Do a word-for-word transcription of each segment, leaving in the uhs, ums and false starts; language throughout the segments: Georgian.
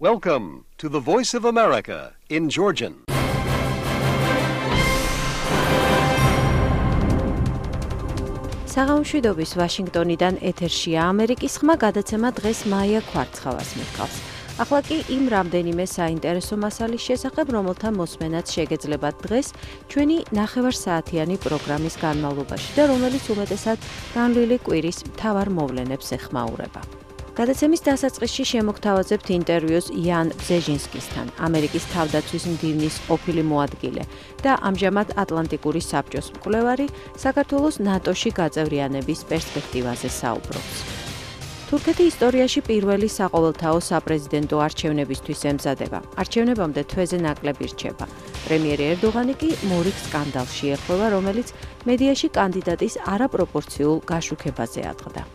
Welcome to the Voice of America in Georgian. საღამოშვიდობის ვაშინგტონიდან ეთერშია ამერიკის ხმა გადაცემა დღეს მაია ქვარცხავას მიჰყავს. ახლა კი იმ რამდენიმე საინტერესო მასალის შესახებ, რომელთა მოსმენაც შეგეძლებათ დღეს ჩვენი ნახევარსაათიანი პროგრამის განმავლობაში და რომელიც უმეტესად განვლილი კვირის მთავარ მოვლენებს ეხმაურება. გადაცემის დასაწყისში შემოგთავაზებთ ინტერვიუს იან ბზეჟინსკისთან, ამერიკის თავდაცვის მდივნის ყოფილი მოადგილე და ამჟამად ატლანტიკური საბჭოს მკვლევარი, საქართველოს ნატოში გაწევრიანების პერსპექტივაზე საუბრობს. თურქეთი ისტორიაში პირველი საყოველთაო საპრეზიდენტო არჩევნებისთვის ემზადება. არჩევნებამდე თვეზე ნაკლები რჩება. პრემიერი ერდოღანი კი მორიგ სკანდალში ეხება, რომელიც მედიაში კანდიდატის არაპროპორციულ გაშუქებაზე ატყდა.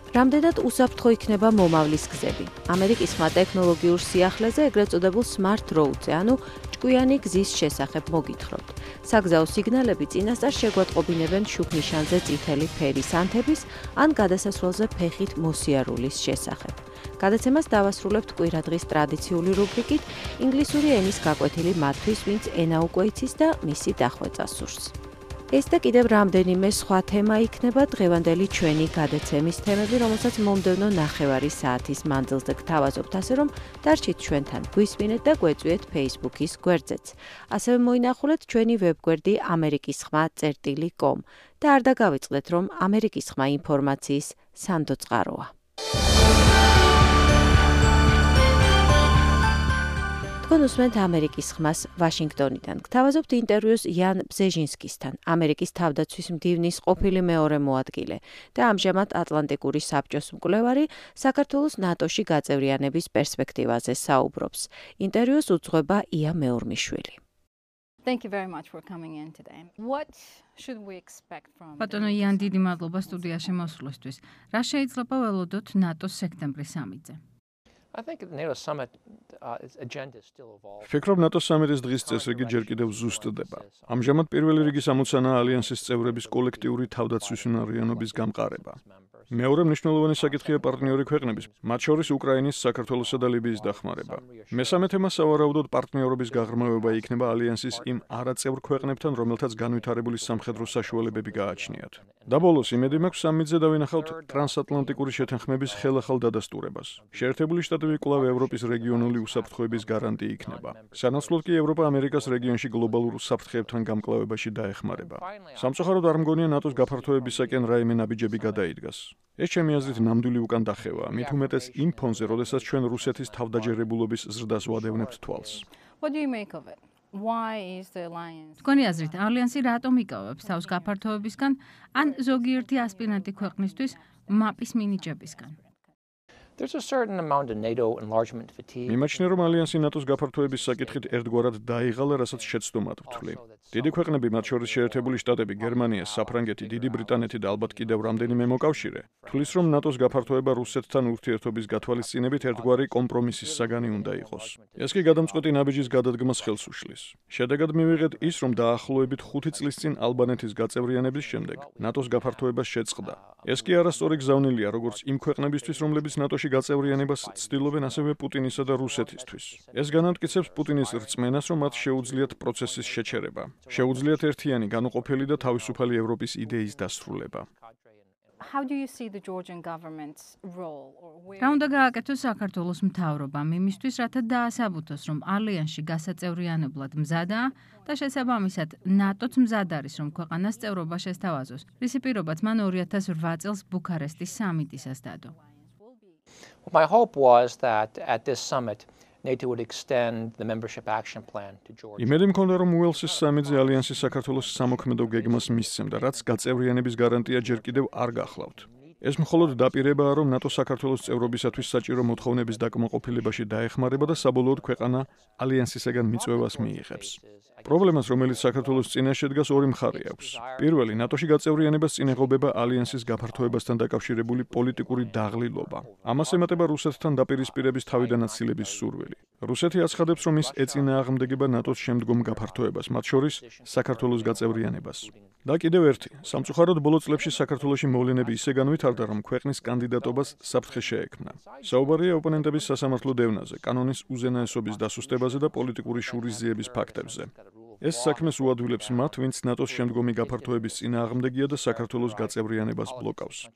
რამდენად უსაფრთხო იქნება მომავლის გზები. ამერიკის ხმა ტექნოლოგიურ სიახლეზე, ეგრეთ წოდებულ smart road-ზე, ანუ ჭკვიანი გზის შესახებ მოგითხრობთ. საგზაო სიგნალები წინასწარ შეგვატყობინებენ შუქნიშანზე წითელი ფერის ანთების ან გადასასვლელზე ფეხით მოსიარულის შესახებ. გადაცემას დავასრულებთ კვირადღის ტრადიციული რუბრიკით, ინგლისური ენის გაკვეთილი მათთვის, ვინც ენა უკვე იცის და მისი დახვეწა სურს. ეს და კიდევ რამდენიმე სხვა თემა იქნება დღევანდელი ჩვენი გადაცემის თემები, რომელსაც მომდევნო ნახევარი საათის მანძილზე გთავაზობთ, ასე რომ დარჩით ჩვენთან, გვისმინეთ და გვეწვიეთ Facebook-ის გვერდზეც. ასევე მოინახულეთ ჩვენი ვებგვერდი ამერიკის ხმა წერტილი კომ და არ დაგავიწყდეთ, რომ ამერიკის ხმა ინფორმაციის სანდო წყაროა. თქვენ უსმენთ ამერიკის ხმას ვაშინგტონიდან. გთავაზობთ ინტერვიუს იან ბზეჟინსკისთან, ამერიკის თავდაცვის მდივნის ყოფილი მეორე მოადგილე და ამჟამად ატლანტიკური საბჭოს მკვლევარი, საქართველოს ნატოში გაწევრიანების პერსპექტივაზე საუბრობს. ინტერვიუს უძღვება ია მეორმიშვილი. Thank you very much for coming in today. What should we expect from ბატონო იან, დიდი მადლობა სტუდიაში მოსვლისთვის. რა შეიძლება ველოდოთ ნატოს სექტემბრის სამიტზე? I think the NATO summit uh, agenda is still evolving. ფიქრობ ნატოს სამიტის დღის წესრიგი ჯერ კიდევ ზუსტდება. ამჟამად პირველი რიგის ამოცანაა ალიანსის წევრების კოლექტიური თავდაცვის უნარიანობის გამყარება. მეორე მნიშვნელოვანი საკითხია პარტნიორი ქვეყნების, მათ შორის უკრაინის, საქართველოსა და ლიბიის დახმარება. მესამე თემა სავარაუდოდ პარტნიორობის გაღრმავება იქნება ალიანსის იმ არაწევრ ქვეყნებთან, რომელთაც განვითარებული სამხედრო საშუალებები გააჩნიათ. და ბოლოს იმედი მაქვს სამიტზე დავინახავთ ტრანსატლანტიკური შეთანხმების ხელახალ დადასტურებას. შეერთებული შტატები კვლავ ევროპის რეგიონული უსაფრთხოების გარანტი იქნება. სანაცვლოდ კი ევროპა ამერიკას რეგიონში გლობალურ საფრთხეებთან გამკლავებაში დაეხმარება. სამწუხაროდ არ მგონია ნატოს გაფართოებისაკენ რაიმე ნაბიჯები გადაიდგას. ეს ჩემი აზრით ნამდვილი უკან დახევაა, მით უმეტეს იმ ფონზე, როდესაც ჩვენ რუსეთის თავდაჯერებულობის ზრდას ვადევნებთ თვალს. What do you make of it? Why is the alliance? თქვენი აზრით, ალიანსი რატომ იკავებს თავს გაფართოებისგან ან ზოგიერთი ასპირანტი ქვეყნისთვის მაპის მინიჭებისგან? There's a certain amount of NATO enlargement fatigue. მიმაჩნია, რომ ალიანსი ნატოს გაფართოების საკითხით ერთგვარად დაიღალა, რასაც შეცდომად ვთვლი. დიდი ქვეყნები, მათ შორის შეერთებული შტატები, გერმანია, საფრანგეთი, დიდი ბრიტანეთი და ალბათ კიდევ რამდენიმე მოკავშირე, თვლის, რომ ნატოს გაფართოება რუსეთთან ურთიერთობის გათვალისწინებით ერთგვარი კომპრომისის საგანი უნდა იყოს. ეს კი გადამწყვეტი ნაბიჯის გადადგმას ხელს უშლის. შედეგად მივიღეთ ის, რომ დაახლოებით ხუთი წლის წინ ალბანეთის გაწევრიანების შემდეგ ნატოს გაფართოებას შეწყდა. ეს კი არასწორი გზავნილია როგორც იმ ქვეყნებისთვის, რომლებიც ნატოში გაწევრიანებას ცდილობენ, ასევე პუტინისა და რუსეთისთვის. ეს განამტკიცებს პუტინის რწმენას, რომ მათ შეუძლიათ პროცესის შეჩერება. შეუძლიათ ერთიანი, განუყოფელი და თავისუფალი ევროპის იდეის დასრულება. How do you see the Georgian government's role or where? რა უნდა გააკეთოს საქართველოს მთავრობამ იმისთვის, რათა დაასაბუთოს, რომ ალიანსში გასაწევრიანებლად მზადაა და შესაბამისად ნატოც მზად არის, რომ ქვეყანას წევრობა შესთავაზოს, რისი პირობაც მან ორი ათას რვა წელს ბუქარესტის სამიტისას დადო. My hope was that at this summit NATO would extend the membership action plan to Georgia. იმედი მქონდა, რომ უელსის სამიტზე ალიანსი საქართველოს სამოქმედო გეგმას მისცემდა, რაც გაწევრიანების გარანტია ჯერ კიდევ არ გახლავთ. ეს მხოლოდ დაპირებაა, რომ ნატო საქართველოს წევრობისათვის საჭირო მოთხოვნების დაკმაყოფილებაში დაეხმარება და საბოლოოდ ქვეყანა ალიანსისაგან მიწვევას მიიღებს. პრობლემას, რომელიც საქართველოს წინაშე დგას, ორი მხარე აქვს. პირველი, ნატოში გაწევრიანებას წინ ეღობება ალიანსის გაფართოებასთან დაკავშირებული პოლიტიკური დაღლილობა. ამას ემატება რუსეთთან დაპირისპირების თავიდანაცილების სურვილი. რუსეთი აცხადებს, რომ ის ეწინააღმდეგება ნატოს შემდგომ გაფართოებას, მათ შორის საქართველოს გაწევრიანებას. და კიდევ ერთი, სამწუხაროდ ბოლო წლებში საქართველოში მოვლენები ისე განვითარდა, რომ ქვეყნის კანდიდატობას საფრთხე შეექმნა. საუბარია ოპონენტების სასამართლო დევნაზე, კანონის უზენაესობის დასუსტებაზე და პოლიტიკური შურისძიების ფაქტებზე. ეს საქმეს უადვილებს მათ, ვინც ნატოს შემდგომი გაფართოების წინააღმდეგია და საქართველოს გაწევრიანებას ბლოკავს.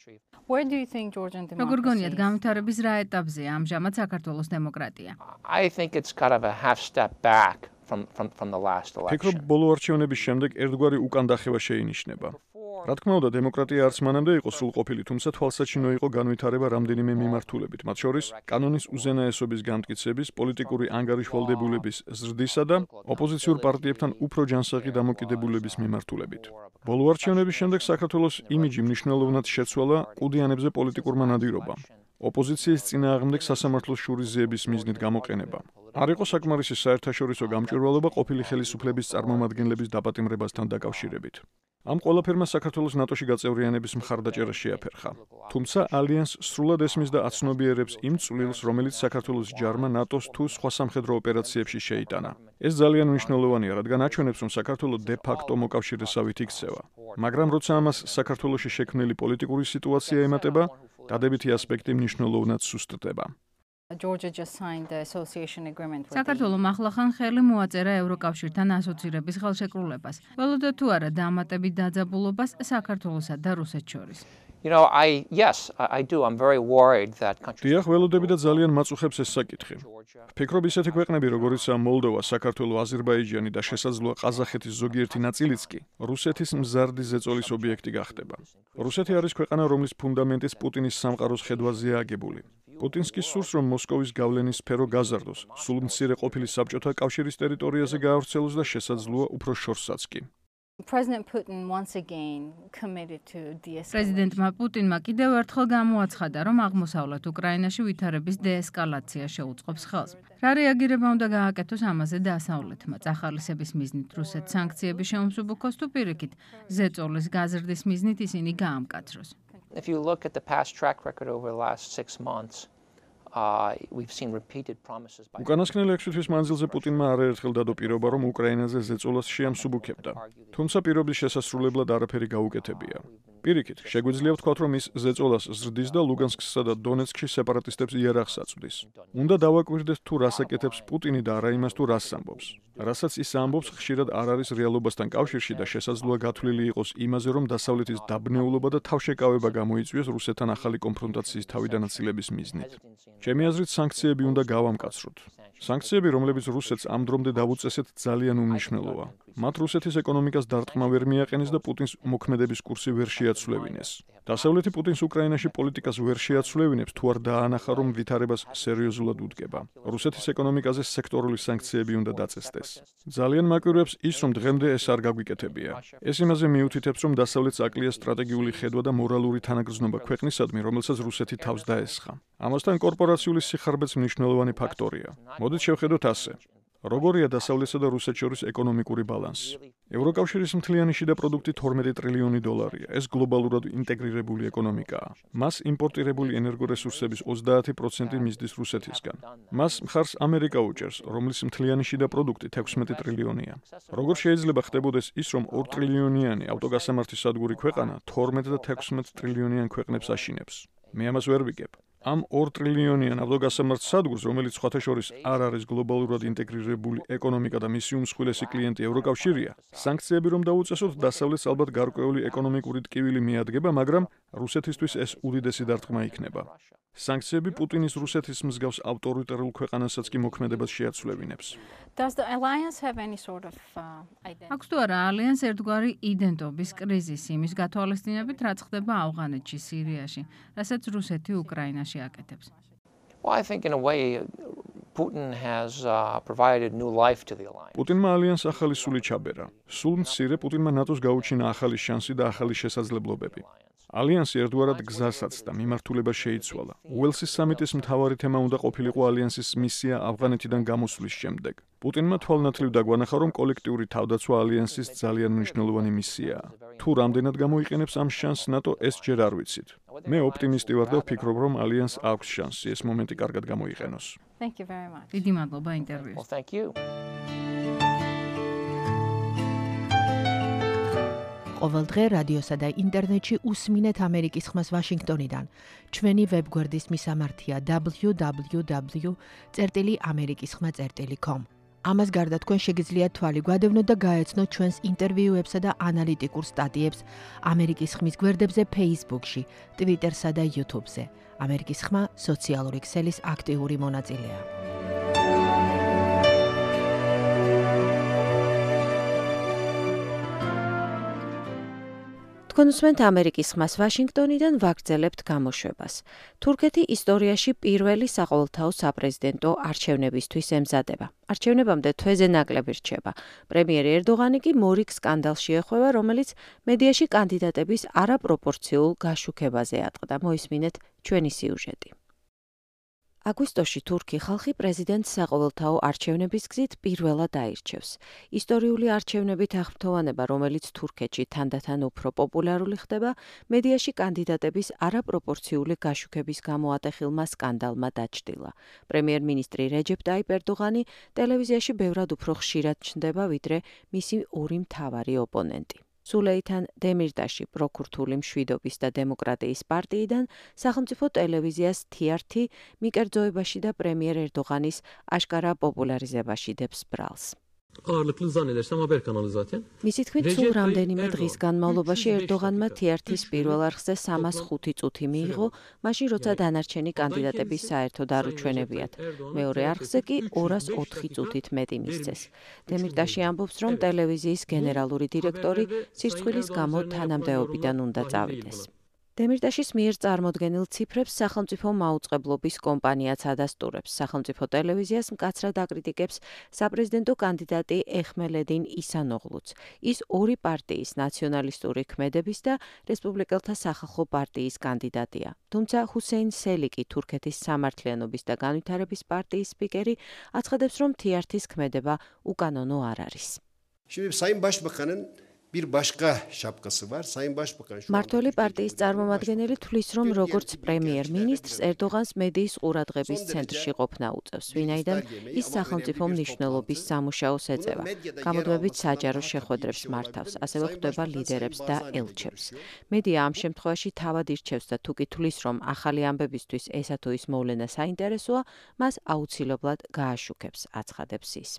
Where do you think Georgian როგორ გონიათ democracy is? განვითარების რა ეტაპზეა ამჟამად საქართველოს დემოკრატია? I think it's kind of a half step back from, from, from the last ფიქრობ, election. ბოლო არჩევნების შემდეგ ერთგვარი უკანდახევა შეინიშნება. რა თქმა უნდა, დემოკრატია არც მანამდე იყო სრულყოფილი, თუმცა თვალსაჩინო იყო განვითარება რამდენიმე მიმართულებით, მათ შორის კანონის უზენაესობის განმტკიცების, პოლიტიკური ანგარიშვალდებულების ზრდისა და ოპოზიციურ პარტიებთან უფრო ჯანსაღი დამოკიდებულების მიმართულებით. ბოლო არჩევნების შემდეგ საქართველოს იმიჯი მნიშვნელოვნად შეცვალა კუდიანებზე პოლიტიკურმა ნადირობამ. ოპოზიციის წინააღმდეგ სასამართლოს შურისძიების მიზნით გამოყენება. არ იყო საკმარისი საერთაშორისო გამჭვირვალობა ყოფილი ხელისუფლების წარმომადგენლების დაპატიმრებასთან დაკავშირებით. ამ ყველაფერმა საქართველოს ნატოში გაწევრიანების მხარდაჭერა შეაფერხა. თუმცა ალიანსს სრულად ესმის და აცნობიერებს იმ წვლილს, რომელიც საქართველოს ჯარმა ნატოს თუ სხვა სამხედრო ოპერაციებში შეიტანა. ეს ძალიან მნიშვნელოვანია, რადგან აჩვენებს, რომ საქართველო de facto მოკავშირესავით იქცევა. მაგრამ როცა ამას საქართველოში შექმნილი პოლიტიკური სიტუაცია ემატება, დადებითი ასპექტი მნიშვნელოვნად სუსტდება. Georgia just signed the association agreement with საქართველომ ახლახან ხელი მოაწერა ევროკავშირთან ასოცირების ხელშეკრულებას. ველოდა თუ არა დამატებით დაძაბულობას საქართველოსა და რუსეთს შორის. You know, I yes, I, I do. I'm very worried that countries. დიახ, ველოდები და ძალიან მაწუხებს ეს საკითხი. ფიქრობ, ისეთი ქვეყნები, როგორიცაა მოლდოვა, საქართველო, აზერბაიჯანი და შესაძლოა ყაზახეთის ზოგიერთი ნაწილიც კი, რუსეთის მზარდი ზეწოლის ობიექტი გახდება. რუსეთი არის ქვეყანა, რომლის ფუნდამენტიც პუტინის სამყაროს ხედვაზეა აგებული. პუტინს კი სურს, რომ მოსკოვის გავლენის სფერო გაზარდოს, სულ მცირე ყოფილი საბჭოთა კავშირის ტერიტორიაზე გაავრცელოს და შესაძლოა უფრო შორსაც კი. President Putin once again committed to de-escalation. პრეზიდენტმა პუტინმა კიდევ ერთხელ გამოაცხადა, რომ აღმოსავლეთ უკრაინაში ვითარების დეესკალაცია შეუწყობს ხელს. რა რეაგირება უნდა გააკეთოს ამაზე დასავლეთმა? წახალისების მიზნით რუსეთს სანქციები შეუმსუბუქოს თუ პირიქით ზეწოლის გაზრდის მიზნით ისინი გაამკაცროს? If you look at the past track record over the last six months, uh, we've seen repeated promises by უკანასკნელი ექვსი თვის მანძილზე პუტინმა არაერთხელ დადო პირობა, რომ უკრაინაზე ზეწოლას შეამსუბუქებდა. თუმცა პირობის შესასრულებლად არაფერი გაუკეთებია. პირიქით, შეგვიძლია ვთქვათ, რომ ის ზეწოლას ზრდის და ლუგანსკსა და დონეცკში სეპარატისტებს იარაღს აწვდის. უნდა დავაკვირდეთ თუ რას აკეთებს პუტინი და არა იმას თუ რას ამბობს. რასაც ის ამბობს, ხშირად არ არის რეალობასთან კავშირში და შესაძლოა გათვლილი იყოს იმაზე, რომ დასავლეთის დაბნეულობა და თავშეკავება გამოიწვიოს რუსეთთან ახალი კონფრონტაციის თავიდანაცილების მიზნით. ჩემი აზრით, სანქციები უნდა გავამკაცროთ. სანქციები, რომლებიც რუსეთს ამ დრომდე დავუწესეთ, ძალიან უმნიშვნელოა. მათ რუსეთის ეკონომიკას დარტყმა ვერ მიაყენეს და პუტინს მოქმედების კურსი ვერ შეაცვლევინეს. დასავლეთი პუტინს უკრაინაში პოლიტიკას ვერ შეაცვლევინებს, თუ არ დაანახა, რომ ვითარებას სერიოზულად უდგება. რუსეთის ეკონომიკაზე სექტორული სანქციები უნდა დაწესდეს. ძალიან მაკვირვებს ის, რომ დღემდე ეს არ გაგვიკეთებია. ეს იმაზე მიუთითებს, რომ დასავლეთს აკლია სტრატეგიული ხედვა და მორალური თანაგრძნობა ქვეყნისადმი, რომელსაც რუსეთი თავს დაესხა. ამასთან კორპორაციული სიხარბეც მნიშვნელოვანი ფაქტორია. მოდით შევხედოთ ასე. როგორია დასავლეთსა და რუსეთს შორის ეკონომიკური ბალანსი? ევროკავშირის მთლიანი შიდა პროდუქტი თორმეტი ტრილიონი დოლარია. ეს გლობალურად ინტეგრირებული ეკონომიკაა. მას იმპორტირებული ენერგორესურსების ოცდაათი პროცენტი მისდის რუსეთისგან. მას მხარს ამერიკა უჭერს, რომლის მთლიანი შიდა პროდუქტი თექვსმეტი ტრილიონია. როგორ შეიძლება ხდებოდეს ის, რომ ორ ტრილიონიანი ავტოგასამართი სადგური ქვეყანა თორმეტ და თექვსმეტ ტრილიონიან ქვეყნებს აშინებს? მე ამას ვერ ვიგებ. ამ ორ ტრილიონიან ავტოგასამართ სადგურს, რომელიც სხვათა შორის არ არის გლობალურად ინტეგრირებული ეკონომიკა და მისი უმსხვილესი კლიენტი ევროკავშირია, სანქციები რომ დაუწესოთ, დასავლეთს ალბათ გარკვეული ეკონომიკური ტკივილი მიადგება, მაგრამ რუსეთისთვის ეს უდიდესი დარტყმა იქნება. სანქციები პუტინის რუსეთის მსგავს ავტორიტარულ ქვეყანასაც კი მოქმედებას შეაცვლევინებს. Does the alliance have any sort of uh, identity? აქვს თუ არა ალიანს ერთგვარი იდენტობის კრიზისი იმის გათვალისწინებით, რაც ხდება ავღანეთში, სირიაში, რასაც რუსეთი უკრაინაში აკეთებს? Well, I think in a way Putin has uh, provided new life to the alliance. პუტინმა ალიანს ახალი სული ჩაბერა. სულ მცირე პუტინმა ნატოს გაუჩინა ახალი შანსი და ახალი შესაძლებლობები. ალიანსი ერთგვარად გზასაც და მიმართულებას შეიცვალა. უელსის სამიტის მთავარი თემა უნდა ყოფილიყო ალიანსის მისია ავღანეთიდან გამოსვლის შემდეგ. პუტინმა თვალნათლივ დაგვანახა, რომ კოლექტიური თავდაცვა ალიანსის ძალიან მნიშვნელოვანი მისიაა. თუ რამდენად გამოიყენებს ამ შანსს ნატო, ეს ჯერ არ ვიცით. მე ოპტიმისტი ვარ და ვფიქრობ, რომ ალიანს აქვს შანსი ეს მომენტი კარგად გამოიყენოს. Thank you very much. დიდი მადლობა ინტერვიუს. Well, thank you. ყოველდღე რადიოსა და ინტერნეტში უსმინეთ ამერიკის ხმას ვაშინგტონიდან. ჩვენი ვებგვერდის მისამართია double-u double-u double-u წერტილი ამერიკის ხმა წერტილი com. ამას გარდა თქვენ შეგიძლიათ თვალი გვადევნოთ და გაეცნოთ ჩვენს ინტერვიუებსა და ანალიტიკურ სტატიებს ამერიკის ხმის გვერდებზე Facebook-ში, Twitter-სა და YouTube-ზე. ამერიკის ხმა სოციალური ქსელის აქტიური მონაწილეა. თქვენ უსმენთ ამერიკის ხმას ვაშინგტონიდან ვაგრძელებთ გამოშვებას. თურქეთი ისტორიაში პირველი საყოველთაო საპრეზიდენტო არჩევნებისთვის ემზადება. არჩევნებამდე თვეზე ნაკლები რჩება. პრემიერი ერდოღანი კი მორიგ სკანდალში ეხვევა, რომელიც მედიაში კანდიდატების არაპროპორციულ გაშუქებაზე ატყდა. მოისმინეთ ჩვენი სიუჟეტი. აგვისტოში თურქი ხალხი პრეზიდენტს საყოველთაო არჩევნების გზით პირველად აირჩევს. ისტორიული არჩევნებით აღფრთოვანება, რომელიც თურქეთში თანდათან უფრო პოპულარული ხდება, მედიაში კანდიდატების არაპროპორციული გაშუქების გამო ატეხილმა სკანდალმა დაჩრდილა. პრემიერ-მინისტრი რეჯეპ ტაიპ ერდოღანი ტელევიზიაში ბევრად უფრო ხშირად ჩნდება, ვიდრე მისი ორი მთავარი ოპონენტი. სულეითან დემირტაში პროქურთული მშვიდობის და დემოკრატიის პარტიიდან სახელმწიფო ტელევიზიას თი არ თი მიკერძოებაში და პრემიერ ერდოღანის აშკარა პოპულარიზებაში დებს ბრალს. მისი თქმით, სულ რამდენიმე დღის განმავლობაში ერდოღანმა თი არ თის პირველ არხზე სამას ხუთი წუთი მიიღო, მაშინ როცა დანარჩენი კანდიდატები საერთოდ არ უჩვენებიათ. მეორე არხზე კი ორას ოთხი წუთით მეტი მისცეს. დემირტაში ამბობს, რომ ტელევიზიის გენერალური დირექტორი სირცხვილის გამო თანამდებობიდან უნდა წავიდეს. დემირტაშის მიერ წარმოდგენილ ციფრებს სახელმწიფო მაუწყებლობის კომპანიაც ადასტურებს. სახელმწიფო ტელევიზიას მკაცრად აკრიტიკებს საპრეზიდენტო კანდიდატი ეხმელედინ ისანოღლუც. ის ორი პარტიის ნაციონალისტური ქმედების და რესპუბლიკელთა სახალხო პარტიის კანდიდატია. თუმცა ჰუსეინ სელიკი, თურქეთის სამართლიანობის და განვითარების პარტიის სპიკერი, აცხადებს, რომ თი არ თის ქმედება უკანონო არ არის. Bir başka şapkası var. Sayın Başbakan şu მართველი პარტიის წარმომადგენელი თვლის, რომ როგორც პრემიერ-მინისტრს ერდოღანს მედიის ყურადღების ცენტრში ყოფნა უწევს, ვინაიდან ის სახელმწიფო მნიშვნელობის სამუშაოს ეწევა. გამოდმებით საჯარო შეხვედრებს მართავს, ასევე ხვდება ლიდერებს და ელჩებს. მედია ამ შემთხვევაში თავად ირჩევს და თუ კი თვლის, რომ ახალი ამბებისთვის ესა თუ ის მოვლენა საინტერესოა, მას აუცილებლად გააშუქებს, აცხადებს ის.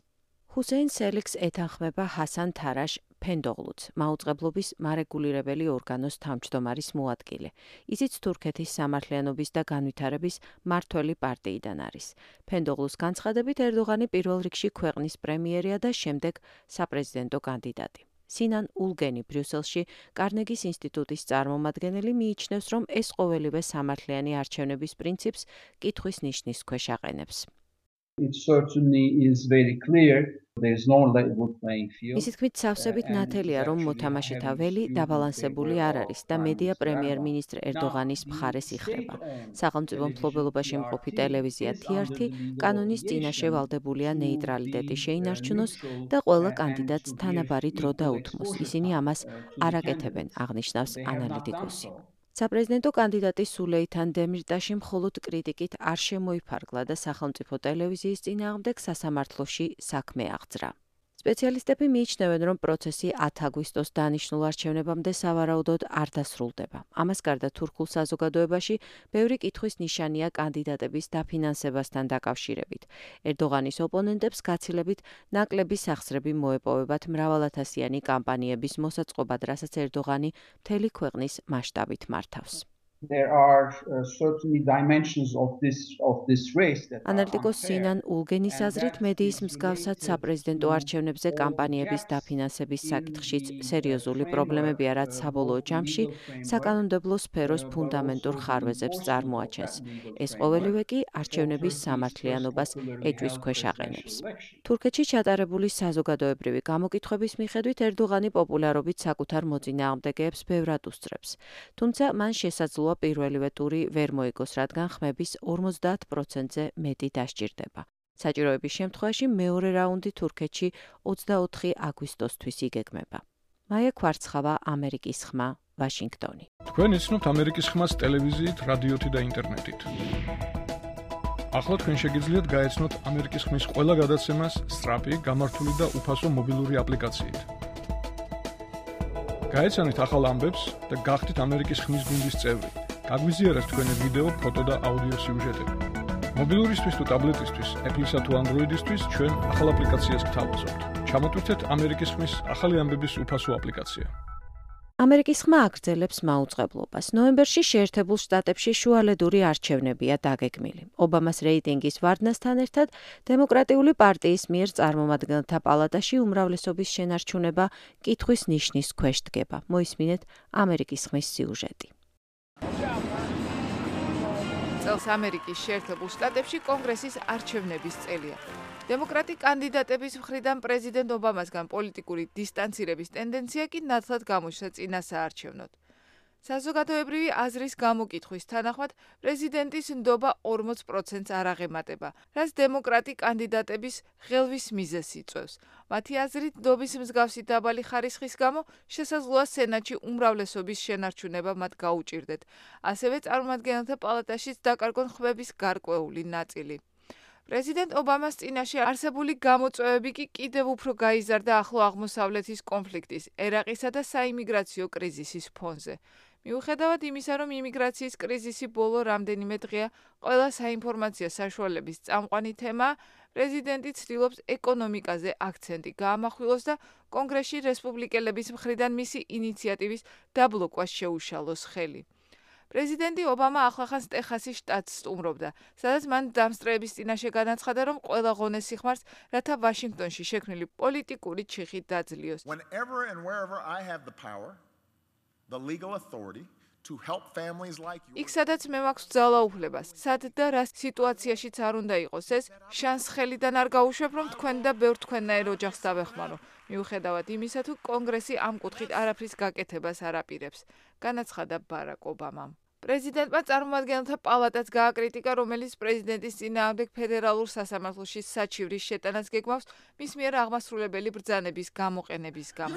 ჰუსეინ სელიქს ეთანხმება ჰასან თარაშ ფენდოღლუც, მაუწყებლობის მარეგულირებელი ორგანოს თავმჯდომარის მოადგილე. ისიც თურქეთის სამართლიანობის და განვითარების მართველი პარტიიდან არის. ფენდოღლუს განცხადებით, ერდოღანი პირველ რიგში ქვეყნის პრემიერია და შემდეგ საპრეზიდენტო კანდიდატი. სინან ულგენი ბრიუსელში კარნეგის ინსტიტუტის წარმომადგენელი მიიჩნევს, რომ ეს ყოველივე სამართლიანი არჩევნების პრინციპს კითხვის ნიშნის ქვეშ აყენებს. It certainly is very clear. ისიც თქმით, სავსებით ნათელია, რომ მოთამაშეთა ველი დაბალანსებული არ არის და მედია პრემიერ-მინისტრ ერდოღანის მხარეს იხრება. სახელმწიფო მფლობელობაში მყოფი ტელევიზია თი არ თი კანონის წინაშე ვალდებულია ნეიტრალიტეტი შეინარჩუნოს და ყველა კანდიდატს თანაბარი დრო დაუთმოს. ისინი ამას არ აკეთებენ, აღნიშნავს ანალიტიკოსი. საპრეზიდენტო კანდიდატი სულეითან დემირტაში მხოლოდ კრიტიკით არ შემოიფარგლა და სახელმწიფო ტელევიზიის წინააღმდეგ სასამართლოში საქმე აღძრა. სპეციალისტები მიიჩნევენ, რომ პროცესი ათი აგვისტოს დანიშნულ არჩევნებამდე სავარაუდოდ არ დასრულდება. ამას გარდა თურქულ საზოგადოებაში ბევრი კითხვის ნიშანია კანდიდატების დაფინანსებასთან დაკავშირებით. ერდოღანის ოპონენტებს გაცილებით ნაკლები სახსრები მოეპოვებათ მრავალათასიანი კამპანიების მოსაწყობად, რასაც ერდოღანი მთელი ქვეყნის მასშტაბით მართავს. There are uh, certainly dimensions of this of this race that ანალიტიკოს სინან ულგენის აზრით, მედიის მსგავსად საპრეზიდენტო არჩევნებზე კამპანიების დაფინანსების საკითხშიც სერიოზული პრობლემებია, რაც საბოლოო ჯამში საკანონმდებლო სფეროს ფუნდამენტურ ხარვეზებს წარმოაჩენს. ეს ყოველივე კი არჩევნების სამართლიანობას ეჭვის ქვეშ აყენებს. თურქეთში ჩატარებული საზოგადოებრივი გამოკითხვების მიხედვით ერდოღანი პოპულარობით საკუთარ მოწინააღმდეგეებს ბევრად უსწრებს. თუმცა მან შესაძლოა პირველივე ტური ვერ მოიგოს, რადგან ხმების ორმოცდაათ პროცენტზე მეტი დასჭირდება. საჭიროების შემთხვევაში მეორე რაუნდი თურქეთში ოცდაოთხი აგვისტოსთვის იგეგმება. მაია კვარცხავა, ამერიკის ხმა, ვაშინგტონი. თქვენ იცნობთ ამერიკის ხმას ტელევიზიით, რადიოთი და ინტერნეტით. ახლა თქვენ შეგიძლიათ გაეცნოთ ამერიკის ხმის ყველა გადაცემას სწრაფი, გამართული და უფასო მობილური აპლიკაციით. გაეცანით ახალ ამბებს და გახდით ამერიკის ხმის გუნდის წევრი. გაგვიზიარეთ თქვენი ვიდეო, ფოტო და აუდიო სიუჟეტები. მობილურისთვის თუ ტაბლეტისთვის, Apple-ისა თუ Android-ისთვის ჩვენ ახალ აპლიკაციას გთავაზობთ. ჩამოტვირთეთ ამერიკის ხმის ახალი ამბების უფასო აპლიკაცია. ამერიკის ხმა აგრძელებს მაუწყებლობას. ნოემბერში შეერთებულ შტატებში შუალედური არჩევნებია დაგეგმილი. ობამას რეიტინგის ვარდნასთან ერთად დემოკრატიული პარტიის მიერ წარმომადგენელთა პალატაში უმრავლესობის შენარჩუნება კითხვის ნიშნის ქვეშ დგება. მოისმინეთ ამერიკის ხმის სიუჟეტი. წელს ამერიკის შეერთებულ შტატებში კონგრესის არჩევნების წელია. დემოკრატი კანდიდატების მხრიდან პრეზიდენტ ობამასგან პოლიტიკური დისტანცირების ტენდენცია კი ნათლად გამოჩნდა წინა საარჩევნოდ. საზოგადოებრივი აზრის გამოკითხვის თანახმად პრეზიდენტის ნდობა ორმოც პროცენტს არ აღემატება, რაც დემოკრატი კანდიდატების ღელვის მიზეზს იწვევს. მათი აზრით, ნდობის მსგავსი დაბალი ხარისხის გამო შესაძლოა სენატში უმრავლესობის შენარჩუნება მათ გაუჭირდეთ. ასევე წარმომადგენელთა პალატაშიც დაკარგონ ხმების გარკვეული ნაწილი. პრეზიდენტ ობამას წინაშე არსებული გამოწვევები კი კიდევ უფრო გაიზარდა ახლო აღმოსავლეთის კონფლიქტის, ერაყისა და საიმიგრაციო კრიზისის ფონზე. მიუხედავად იმისა, რომ იმიგრაციის კრიზისი ბოლო რამდენიმე დღეა ყველა საინფორმაციო საშუალების წამყვანი თემაა, პრეზიდენტი ცდილობს ეკონომიკაზე აქცენტი გაამახვილოს და კონგრესში რესპუბლიკელების მხრიდან მისი ინიციატივის დაბლოკვას შეუშალოს ხელი. პრეზიდენტი ობამა ახლახანს ტეხასის შტატს სტუმრობდა, სადაც მან დამსწრეების წინაშე განაცხადა, რომ ყველა ღონეს სიხმარს, რათა ვაშინგტონში შექმნილი პოლიტიკური ჩიხი დაძლიოს. Whenever and wherever I have the power, the legal authority to help families like yours. იქ სადაც მე მაქვს ძალაუფლება, სად და რა სიტუაციაშიც არ უნდა იყოს ეს, შანს ხელიდან არ გაუშვებ, რომ თქვენ და ბევრ თქვენნაირ ოჯახს დავეხმარო. მიუხედავად იმისა, თუ კონგრესი ამ კუთხით არაფრის გაკეთებას არ აპირებს, განაცხადა ბარაკ ობამამ. პრეზიდენტმა წარმომადგენელთა პალატაც გააკრიტიკა, რომელიც პრეზიდენტის წინააღმდეგ ფედერალურ სასამართლოში საჩივრის შეტანას გეგმავს მის მიერ აღმასრულებელი ბრძანების გამოყენების გამო.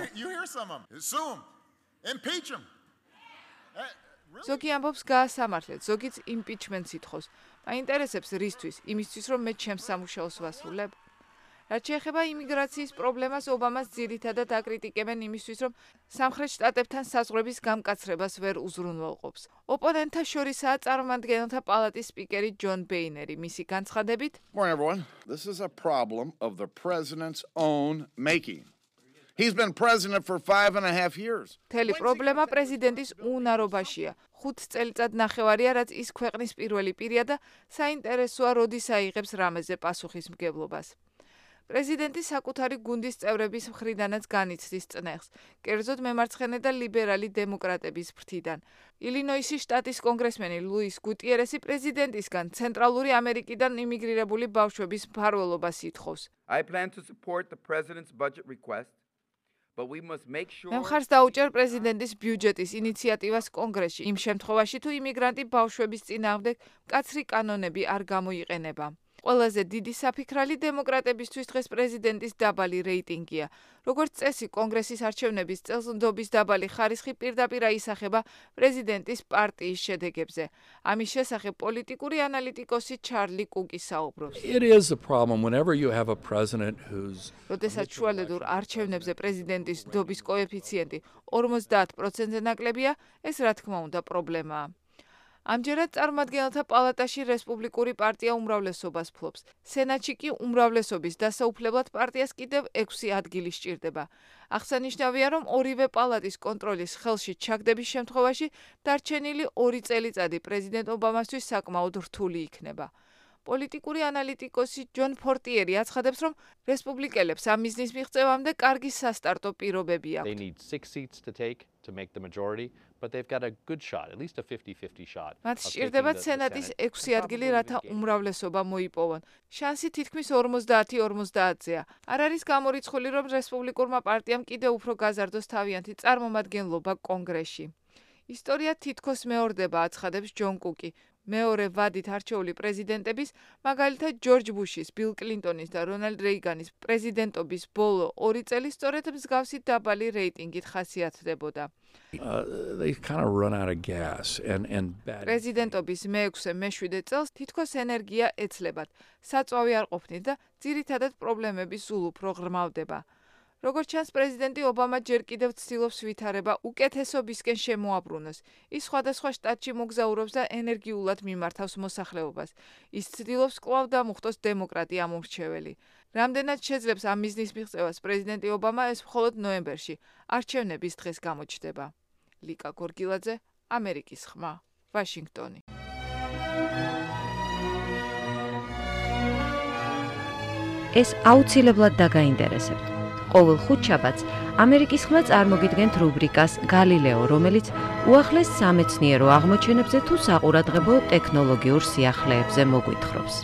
ზოგი ამბობს გაასამართლეთ, ზოგიც იმპიჩმენტს ითხოვს. მაინტერესებს რისთვის, იმისთვის რომ მე ჩემს სამუშაოს ვასრულებ? რაც შეეხება იმიგრაციის პრობლემას, ობამას ძირითადად აკრიტიკებენ იმისთვის, რომ სამხრეთ შტატებთან საზღვრების გამკაცრებას ვერ უზრუნველყოფს. ოპონენტთა შორისაა წარმომადგენელთა პალატის სპიკერი ჯონ ბეინერი, მისი განცხადებით. Morning everyone. This is a problem of the president's own making. He's been president for five and a half years. თელი პრობლემა პრეზიდენტის უნარობაშია. ხუთ წელიწად ნახევარია, რაც ის ქვეყნის პირველი პირია და საინტერესოა, როდის აიღებს რამეზე პასუხისმგებლობას. პრეზიდენტი საკუთარი გუნდის წევრების მხრიდანაც განიცდის წნეხს, კერძოდ მემარცხენე და ლიბერალი დემოკრატების ფრთიდან. ილინოისის შტატის კონგრესმენი ლუის გუტიერესი პრეზიდენტისგან ცენტრალური ამერიკიდან იმიგრირებული ბავშვების მფარველობას ითხოვს. I plan to support the president's budget request. მე მხარს დაუჭერ პრეზიდენტის ბიუჯეტის ინიციატივას კონგრესში, იმ შემთხვევაში, თუ იმიგრანტი ბავშვების წინააღმდეგ მკაცრი კანონები არ გამოიყენება. ყველაზე დიდი საფიქრალი დემოკრატებისთვის დღეს პრეზიდენტის დაბალი რეიტინგია. როგორც წესი, კონგრესის არჩევნების წელს ნდობის დაბალი ხარისხი პირდაპირ აისახება პრეზიდენტის პარტიის შედეგებზე. ამის შესახებ პოლიტიკური ანალიტიკოსი ჩარლი კუკი საუბრობს. It is a problem whenever you have a president who's როდესაც შუალედურ არჩევნებზე პრეზიდენტის ნდობის კოეფიციენტი ორმოცდაათ პროცენტზე ნაკლებია, ეს რა თქმა უნდა პრობლემაა. ამჯერად წარმომადგენელთა პალატაში რესპუბლიკური პარტია უმრავლესობას ფლობს. სენატში კი უმრავლესობის დასაუფლებლად პარტიას კიდევ ექვსი ადგილი სჭირდება. აღსანიშნავია, რომ ორივე პალატის კონტროლის ხელში ჩაგდების შემთხვევაში დარჩენილი ორი წელიწადი პრეზიდენტ ობამასთვის საკმაოდ რთული იქნება. პოლიტიკური ანალიტიკოსი ჯონ ფორტიერი აცხადებს, რომ რესპუბლიკელებს ამ მიზნის მიღწევამდე კარგი სასტარტო პირობები აქვთ. They need six seats to take to make the majority, but they've got a good shot, at least a fifty fifty shot. მათ სჭირდებათ სენატის ექვსი ადგილი, რათა უმრავლესობა მოიპოვონ. შანსი თითქმის ორმოცდაათი ორმოცდაათზეა. არ არის გამორიცხული, რომ რესპუბლიკურმა პარტიამ კიდევ უფრო გაზარდოს თავიანთი წარმომადგენლობა კონგრესში. ისტორია თითქოს მეორდება, აცხადებს ჯონ კუკი. მეორე ვადით არჩეული პრეზიდენტების, მაგალითად ჯორჯ ბუშის, ბილ კლინტონის და რონალდ რეიგანის პრეზიდენტობის ბოლო ორი წელი სწორედ მსგავსი დაბალი რეიტინგით ხასიათდებოდა. პრეზიდენტობის მეექვსე მეშვიდე წელს თითქოს ენერგია ეცლებათ, საწვავი არ ყოფნით და ძირითადად პრობლემები სულ უფრო ღრმავდება. როგორც ჩანს, პრეზიდენტი ობამა ჯერ კიდევ ცდილობს ვითარება უკეთესობისკენ შემოაბრუნოს. ის სხვადასხვა შტატში მოგზაურობს და ენერგიულად მიმართავს მოსახლეობას. ის ცდილობს კვლავ დამუხტოს დემოკრატი ამომრჩეველი. რამდენად შეძლებს ამ მიზნის მიღწევას პრეზიდენტი ობამა, ეს მხოლოდ ნოემბერში, არჩევნების დღეს გამოჩნდება. ლიკა გორგილაძე, ამერიკის ხმა, ვაშინგტონი. ეს აუცილებლად დაგაინტერესებთ. ყოველ ხუთშაბათს ამერიკის ხმა წარმოგიდგენთ რუბრიკას გალილეო, რომელიც უახლეს სამეცნიერო აღმოჩენებზე თუ საყურადღებო ტექნოლოგიურ სიახლეებზე მოგვითხრობს.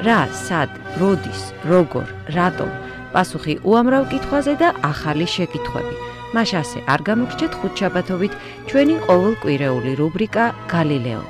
რა, სად, როდის, როგორ, რატომ, პასუხი უამრავ კითხვაზე და ახალი შეკითხვები. მას ასე არ გამოგრჩეთ ხუთშაბათობით ჩვენი ყოველკვირეული რუბრიკა გალილეო.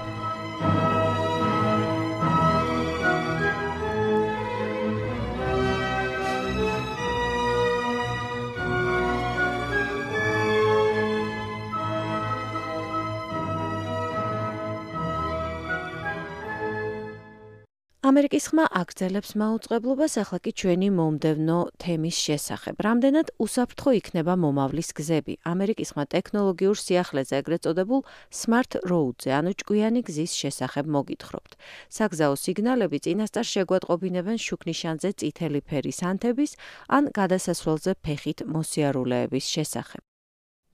ამერიკის ხმა აგრძელებს მაუწყებლობას ახლა კი ჩვენი მომდევნო თემის შესახებ. რამდენად უსაფრთხო იქნება მომავლის გზები? ამერიკის ხმა ტექნოლოგიურ სიახლეზე, ეგრეთ წოდებულ Smart Road-ზე, ანუ ჭკვიანი გზის შესახებ მოგითხრობთ. საგზაო სიგნალები წინასწარ შეგვატყობინებენ შუქნიშანზე წითელი ფერის ანთების ან გადასასვლელზე ფეხით მოსიარულეების შესახებ.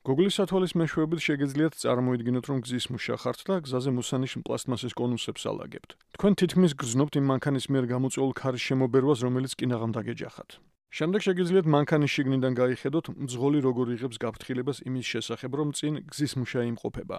Google-ის სათვალის მეშვეობით შეგეძლიათ წარმოიდგინოთ, რომ გზის მუშა ხართ და გზაზე მოსანიშნ პლასტმასის კონუსებს ალაგებთ. თქვენ თითქმის გრძნობთ იმ მანქანის მიერ გამოწვეულ ქარის შემობერვას, რომელიც კინაღამ დაგეჯახათ. შემდეგ შეგეძლიათ მანქანის შიგნიდან გაიხედოთ, მძღოლი როგორ იღებს გაფრთხილებას იმის შესახებ, რომ წინ გზის მუშა იმყოფება.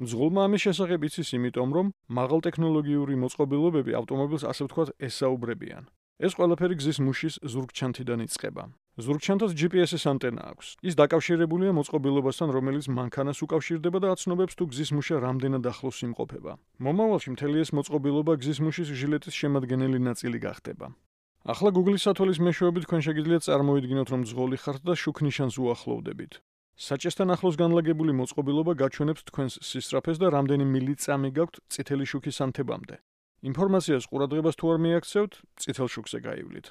მძღოლმა ამის შესახებ იცის, იმიტომ რომ მაღალტექნოლოგიური მოწყობილობები ავტომობილს ასე ვთქვათ ესაუბრებიან. ეს ყველაფერი გზის მუშის ზურგჩანთიდან იწყება. ზურგჩანთას ჯი პი ეს-ის ანტენა აქვს. ის დაკავშირებულია მოწყობილობასთან, რომელიც მანქანას უკავშირდება და აცნობებს თუ გზის მუშა რამდენად ახლოს იმყოფება. მომავალში მთელი ეს მოწყობილობა გზის მუშის ჟილეტის შემადგენელი ნაწილი გახდება. ახლა Google-ის სათვალის მეშვეობით თქვენ შეგიძლიათ წარმოიდგინოთ, რომ მძღოლი ხართ და შუქნიშანს უახლოვდებით. საჭესთან ახლოს განლაგებული მოწყობილობა გაჩვენებს თქვენს სისწრაფეს და რამდენი მილიწამი გაქვთ წითელი შუქის ანთებამდე. ინფორმაციას ყურადღებას თუ არ მიაქცევთ, წითელ შუქზე გაივლით.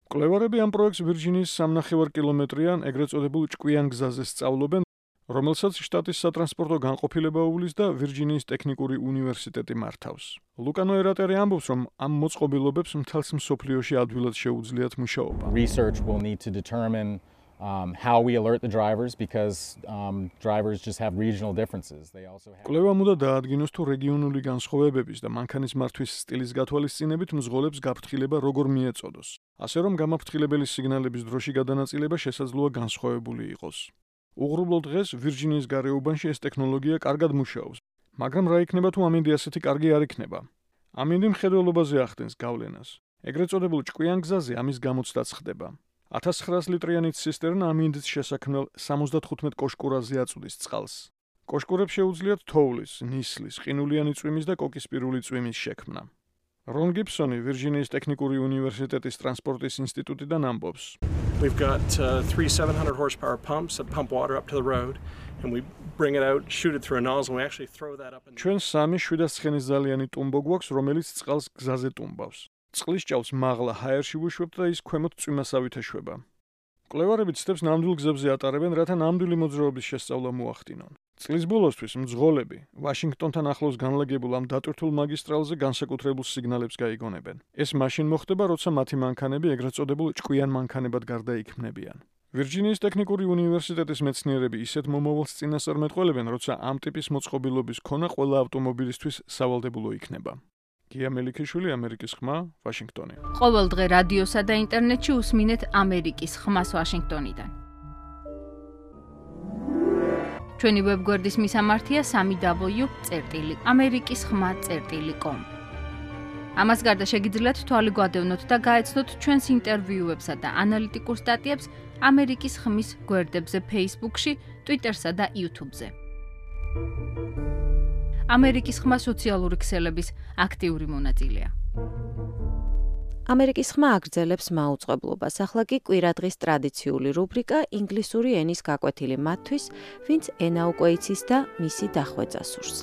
მკვლევარები ამ პროექტს ვირჯინიის სამნახევარ კილომეტრიან ეგრეთ წოდებულ ჭკვიან გზაზე სწავლობენ, რომელსაც შტატის სატრანსპორტო განყოფილება უვლის და ვირჯინიის ტექნიკური უნივერსიტეტი მართავს. ლუკანო ერატერი ამბობს, რომ ამ მოწყობილობებს მთელს მსოფლიოში ადვილად შეუძლიათ მუშაობა. Research will need to determine Um, how we alert the drivers because um, drivers just have regional differences. They also have კვლევამ უნდა დაადგინოს თუ რეგიონული განსხვავებების და მანქანის მართვის სტილის გათვალისწინებით მძღოლებს გაფრთხილება როგორ მიეწოდოს. ასე რომ გამაფრთხილებელი სიგნალების დროში გადანაწილება შესაძლოა განსხვავებული იყოს. უღრუბლო დღეს ვირჯინიის გარეუბანში ეს ტექნოლოგია კარგად მუშაობს, მაგრამ რა იქნება თუ ამინდი ასეთი კარგი არ იქნება? ამინდი მხედველობაზე ახდენს გავლენას. ეგრეთ წოდებულ ჭკვიან გზაზე ამის გამოცდაც ხდება. ათას ცხრაას ლიტრიანი ცისტერნა ამინდის შესაქმნელ სამოცდათხუთმეტ კოშკურაზე აწვდის წყალს. კოშკურებს შეუძლიათ თოვლის, ნისლის, ყინულიანი წვიმის და კოკისპირული წვიმის შექმნა. რონ გიბსონი ვირჯინიის ტექნიკური უნივერსიტეტის ტრანსპორტის ინსტიტუტიდან ამბობს. We've got uh, three seven hundred horsepower pumps that pump water up to the road and we bring it out, shoot it through a nozzle and we actually throw that up. ჩვენ სამი შვიდასცხრენისძალიანი ტუმბო გვაქვს, რომელიც წყალს გზაზე ტუმბავს. წყლის ჭაობს მაღლა ჰაერში ვუშვებთ და ის ქვემოთ წვიმასავით ეშვება. მკვლევარები ცდებს ნამდვილ გზებზე ატარებენ, რათა ნამდვილი მოძრაობის შესწავლა მოახდინონ. წლის ბოლოსთვის მძღოლები ვაშინგტონთან ახლოს განლაგებულ ამ დატვირთულ მაგისტრალზე განსაკუთრებულ სიგნალებს გაიგონებენ. ეს მაშინ მოხდება, როცა მათი მანქანები ეგრეთ წოდებულ ჭკვიან მანქანებად გარდაიქმნებიან. ვირჯინიის ტექნიკური უნივერსიტეტის მეცნიერები ისეთ მომავალს წინასწარმეტყველებენ, როცა ამ ტიპის მოწყობილობის ქონა ყველა ავტომობილისთვის სავალდებულო იქნება. გია მელიქიშვილი, ამერიკის ხმა, ვაშინგტონი. ყოველ დღე რადიოსა და ინტერნეტში უსმინეთ ამერიკის ხმას ვაშინგტონიდან. ჩვენი ვებგვერდის მისამართია სამი დაბლიუ წერტილი ამერიკის ხმა წერტილი კომ. ამას გარდა შეგიძლიათ თვალი გვადევნოთ და გაეცნოთ ჩვენს ინტერვიუებსა და ანალიტიკურ სტატიებს ამერიკის ხმის გვერდებზე Facebook-ში, Twitter-სა და YouTube-ზე. ამერიკის ხმა სოციალური ქსელების აქტიური მონაწილეა. ამერიკის ხმა აგრძელებს მაუწყებლობას. ახლა კი კვირადღის ტრადიციული რუბრიკა ინგლისური ენის გაკვეთილი მათთვის, ვინც ენა უკვე იცის და მისი დახვეწა სურს.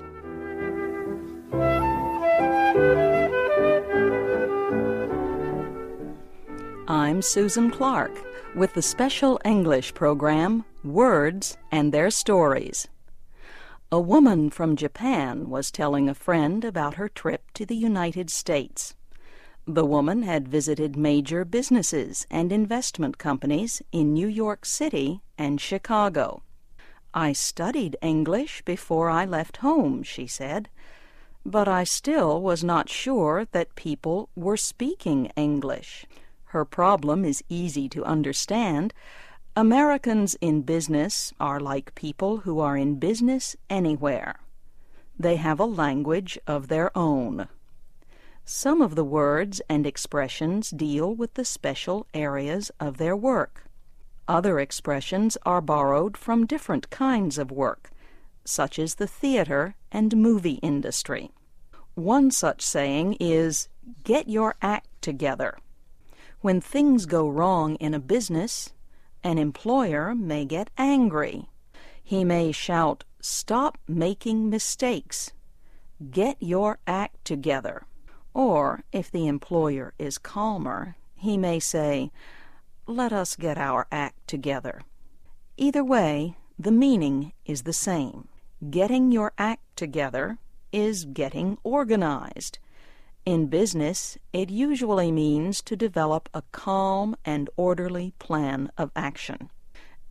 I'm Susan Clark with the special English program, Words and Their Stories. A woman from Japan was telling a friend about her trip to the United States. The woman had visited major businesses and investment companies in New York City and Chicago. I studied English before I left home, she said, but I still was not sure that people were speaking English. Her problem is easy to understand. Americans in business are like people who are in business anywhere. They have a language of their own. Some of the words and expressions deal with the special areas of their work. Other expressions are borrowed from different kinds of work, such as the theater and movie industry. One such saying is, "Get your act together." When things go wrong in a business, an employer may get angry. He may shout, "Stop making mistakes. Get your act together." Or, if the employer is calmer, he may say, "Let us get our act together." Either way, the meaning is the same. Getting your act together is getting organized. In business, it usually means to develop a calm and orderly plan of action.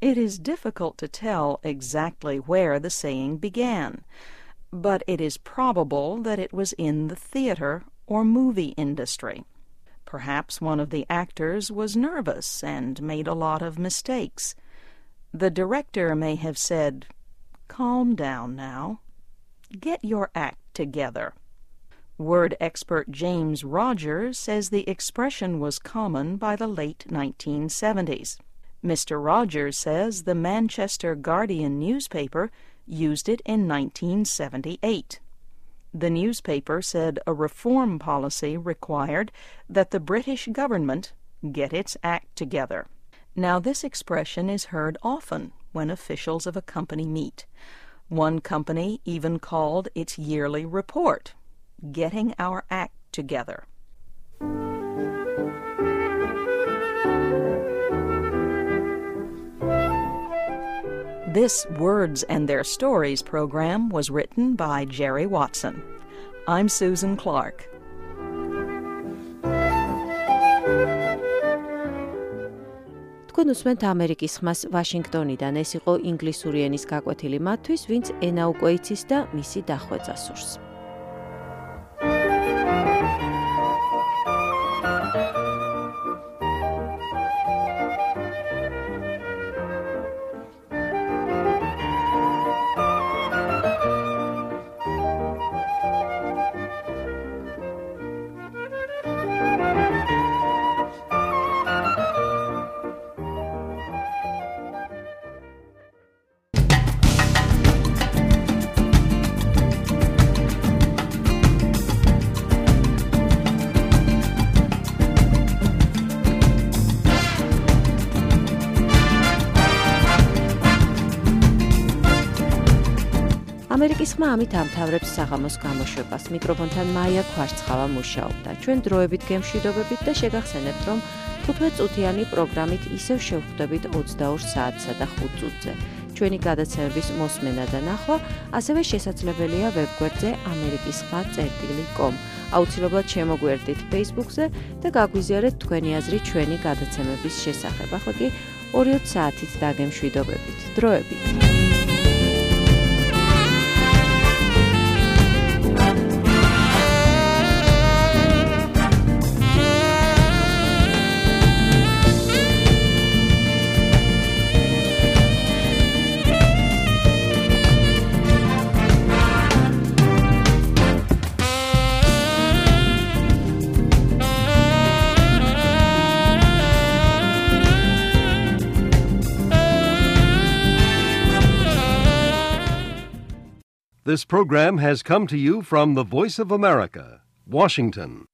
It is difficult to tell exactly where the saying began, but it is probable that it was in the theater or movie industry. Perhaps one of the actors was nervous and made a lot of mistakes. The director may have said, "Calm down now. Get your act together." Word expert James Rogers says the expression was common by the late nineteen seventies. Mister Rogers says the Manchester Guardian newspaper used it in nineteen seventy-eight. The newspaper said a reform policy required that the British government get its act together. Now, this expression is heard often when officials of a company meet. One company even called its yearly report, "Getting Our Act Together." This Words and Their Stories program was written by Jerry Watson. I'm Susan Clark. თქვენ უსმენთ ამერიკის ხმას ვაშინგტონიდან. ეს იყო ინგლისური ენის გაკვეთილი მათთვის, ვინც ენა უკვე იცის და მისი დახვეწა სურს. ამერიკის ხმა ამით ამთავრებს საღამოს გამოშვებას. მიკროფონთან მაია ქვარცხავა მუშაობდა. ჩვენ დროებით გემშვიდობებით და შეგახსენებთ, რომ ხუთმეტ წუთიანი პროგრამით ისევ შევხვდებით ოცდაორ საათსა და ხუთ წუთზე. ჩვენი გადაცემების მოსმენა და ნახვა ასევე შესაძლებელია ვებგვერდზე ამერიკის ხმა წერტილი კომ. აუცილებლად შემოგვერდით Facebook-ზე და გაგვიზიარეთ თქვენი აზრი ჩვენი გადაცემების შესახებ. ახლა კი ორი საათით დაგემშვიდობებით. დროებით. This program has come to you from the Voice of America, Washington.